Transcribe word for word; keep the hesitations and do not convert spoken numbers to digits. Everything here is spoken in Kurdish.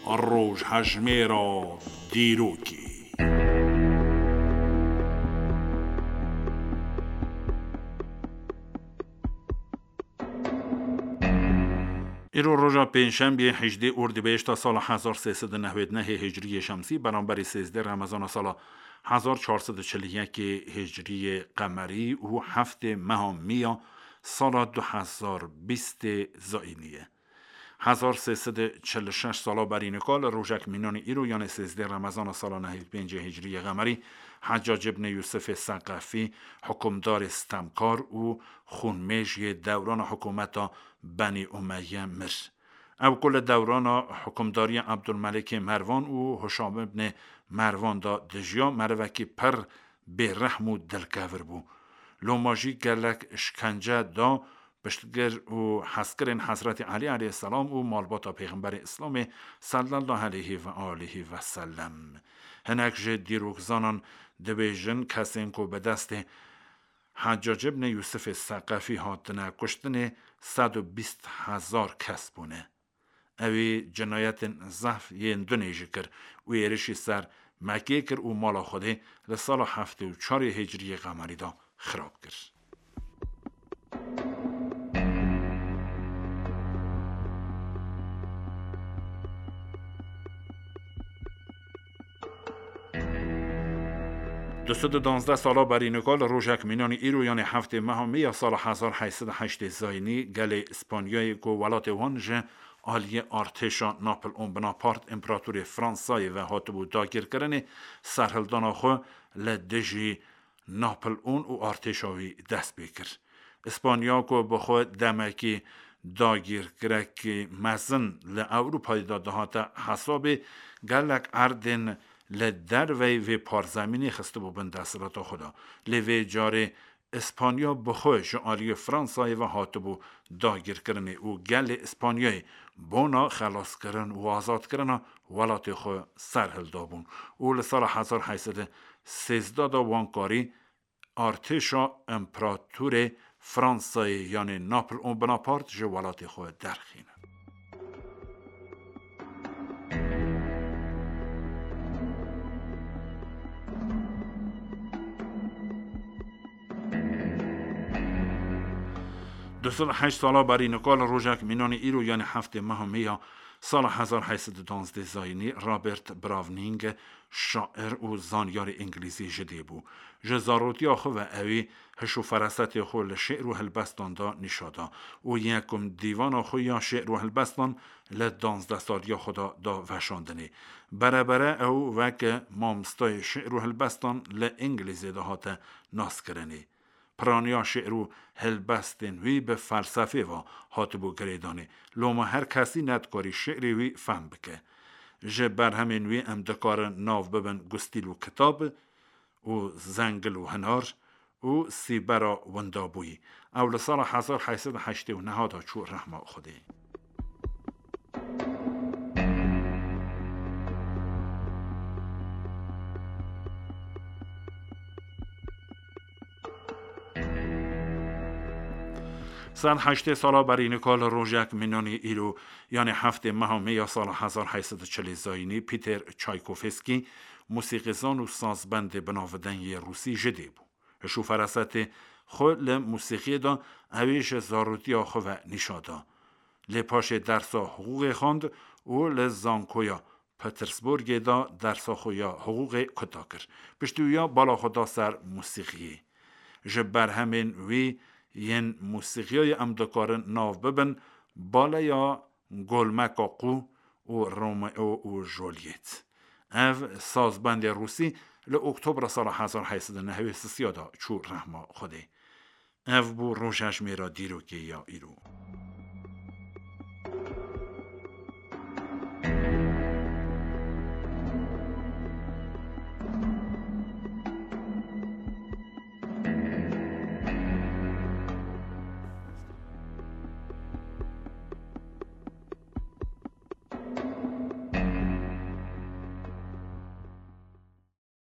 Rojhejmêra dîrokê. Îro roja pêncşembiyê hejdê Ordîbehişta sala hezar sê sed û nehwêd nehê Hicriyê Şemsî, beramberî sêzdeh Remezana sala hezar çar sed û çil û yekê Hicriyê Qemerî û heftê meha Mîya sala du hezar bîstê Zayînî ye. Hezar sê sed û çil û şeş sala berî nika li rojek mînanî îro, yanê sêzdeh Remezana sala nehê pêncê Hicriyê Qemerî, Heccac ibnê Yûsifê Seqefî, hukimdarê stemkar û xûnmêj yê dewrana hikûmeta Benî Umeyye mir. Ew ku li dewrana hukimdariya Ebdulmelikê Mervan û Hişam ibnê Mervan de dijiya, merivekî pir bêrehm û dilkevir bû. Loma jî gelek şikence da piştgir û hezkirên Hezretî Elî aleyhisselam û malbata Pêxemberê Îslamê sallallahu aleyhi ve aleyhi ve sellem. Hinek ji dîrokzanan dibêjin, kesên ku bi destê Heccac ibnê Yûsifê Seqefî hatine kuştinê sed û bîst hezar kes bûne. Ew ê cinayetên zehf yên dunê jî kir û êrişî ser Mekkê kir û mala Xwedê li sala heftê û çarê Hicriyê Qemerî de xirab kir. Du sed û danzdeh sala berî nika li rojek mînanî îro, yanê heftê meha Mê ya sala hezar heyt sed û heştê Zayînî, gelê Îspanyayê ku welatê wan ji aliyê artêşa Napoleon Bonaparte, împeratorê Fransayê ve hatibû dagirkirinê, serhildana xwe li dijî Napoleon û artêşa wî dest pê kir. Îspanya ku bi xwe demekî dagirkirekî mezin li Ewropayê de dihate hesabê, gelek erdên li derveyî vê parzemînê xistibû bin desthilata xwe de. Lê vê carê Îspanya bi xwe ji aliyê Fransayê ve hatibû dagirkirinê û gelê Îspanyayê bona xelaskirin û azadkirina welatê xwe serhilda bûn û li sala hezar heyt sed û sêzdeh de wan karî artêşa împeratorê Fransayê, yanê Napoleon Bonaparte, ji welatê xwe derxînin. Du sed û heşt sala berî nika li rojek mînanî îro, yanî heftê meha Mê ya sala hezar heyt sed û danzdeh Zayînî, Robert Browning, şair û zanyarê îngilîzî ji dê bû. Ji zarotiya xwe ve ewî hiş û ferasetê xwe li şi'r û helbestan de nîşa da û yekum dîvana xwe ya şi'r û helbestan li danzdeh saliya xwe de da veşandinê. Berebere ew weke mamostayê şi'r û helbestan li Îngilîzê de hate naskirinê. Piraniya şi'r û helbestên wî bi felsefê ve hatibû girêdanê. Loma her kesî nedikarî şi'rê wî fehm bike. Ji berhemên wî em dikarin nav bibin Gustîl û Kitab û Zengil û Hinar û Sîbera Windabûyî. Ew li sala hezar heyt sed û heştê û neh de çû rehma Xwedê. Sed heştê sala berî nika li rojek mînanî îro, yanê heftê meha Mê ya sala hezar heyt sed û çilê Zayînî, Peter Çaykovskî, musîqîzan û sazbendê binavdeng yê rûsî ji dê bû. Hiş û ferasetê xwe li musîqiyê de ewî ji zarotiya xwe ve nîşa da. Lê paşê dersa hiqûqê xwend û li Zankoya Petersburgê de dersa xwe ya hiqûqê kuta kir. Piştî wî ya bala xwe da ser musîqiyê. Ji berhemên wî yên musîqiyayê em dikarin nav bibin baleya Golmeka Qû û Romeo û Juliet. Ev sazbendê rûsî li Oktobra sala hezar heyt sed û nehê sisiya de çû rehma Xwedê. Ev bû rojhejmêra dîrokê ya îro.